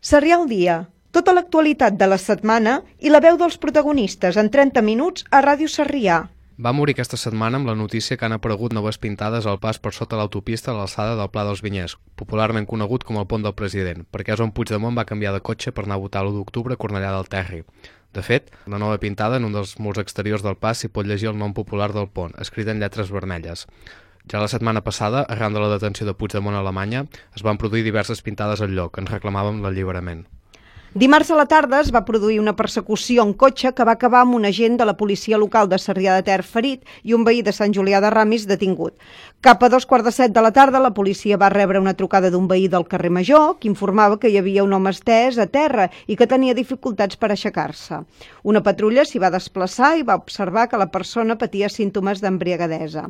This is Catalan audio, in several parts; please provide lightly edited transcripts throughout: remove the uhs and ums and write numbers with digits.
Sarrià al dia. Tota l'actualitat de la setmana i la veu dels protagonistes en 30 minuts a Ràdio Sarrià. Va morir aquesta setmana amb la notícia que han aparegut noves pintades al pas per sota l'autopista a l'alçada del Pla dels Vinyers, popularment conegut com el Pont del President, perquè és on Puigdemont va canviar de cotxe per anar a votar l'1 d'octubre a Cornellà del Terri. De fet, la nova pintada en un dels murs exteriors del pas s'hi pot llegir el nom popular del pont, escrit en lletres vermelles. Ja la setmana passada, arran de la detenció de Puigdemont a Alemanya, es van produir diverses pintades al lloc, que ens reclamaven l'alliberament. Dimarts a la tarda es va produir una persecució en cotxe que va acabar amb un agent de la policia local de Sarrià de Ter ferit i un veí de Sant Julià de Ramis detingut. Cap a 2:15 de la tarda, la policia va rebre una trucada d'un veí del carrer Major que informava que hi havia un home estès a terra i que tenia dificultats per aixecar-se. Una patrulla s'hi va desplaçar i va observar que la persona patia símptomes d'embriagadesa.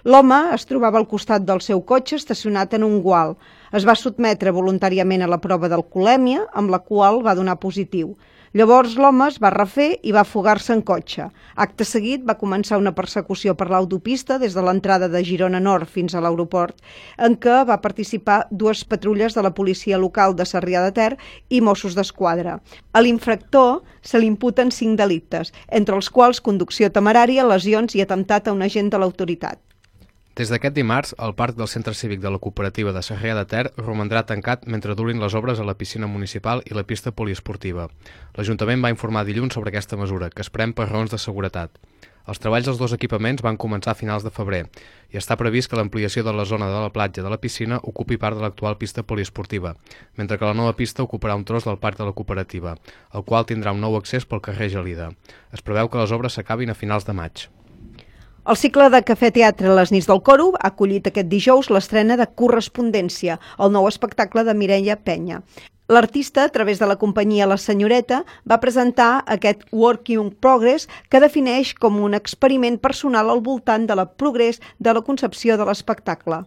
L'home es trobava al costat del seu cotxe estacionat en un gual. Es va sotmetre voluntàriament a la prova d'alcoholèmia, amb la qual va donar positiu. Llavors l'home es va refer i va fugar-se en cotxe. Acte seguit va començar una persecució per l'autopista des de l'entrada de Girona Nord fins a l'aeroport, en què va participar 2 patrulles de la policia local de Sarrià de Ter i Mossos d'Esquadra. A l'infractor se li imputen 5 delictes, entre els quals conducció temerària, lesions i atemptat a un agent de l'autoritat. Des d'aquest dimarts, el parc del Centre Cívic de la Cooperativa de Sarrià de Ter romandrà tancat mentre durin les obres a la piscina municipal i la pista poliesportiva. L'Ajuntament va informar dilluns sobre aquesta mesura, que es pren per raons de seguretat. Els treballs dels 2 equipaments van començar a finals de febrer i està previst que l'ampliació de la zona de la platja de la piscina ocupi part de l'actual pista poliesportiva, mentre que la nova pista ocuparà un tros del parc de la cooperativa, el qual tindrà un nou accés pel carrer Gelida. Es preveu que les obres s'acabin a finals de maig. El cicle de cafè-teatre Les nits del Coro ha acollit aquest dijous l'estrena de Correspondència, el nou espectacle de Mireia Penya. L'artista, a través de la companyia La Senyoreta, va presentar aquest Work in Progress que defineix com un experiment personal al voltant de la progrés de la concepció de l'espectacle.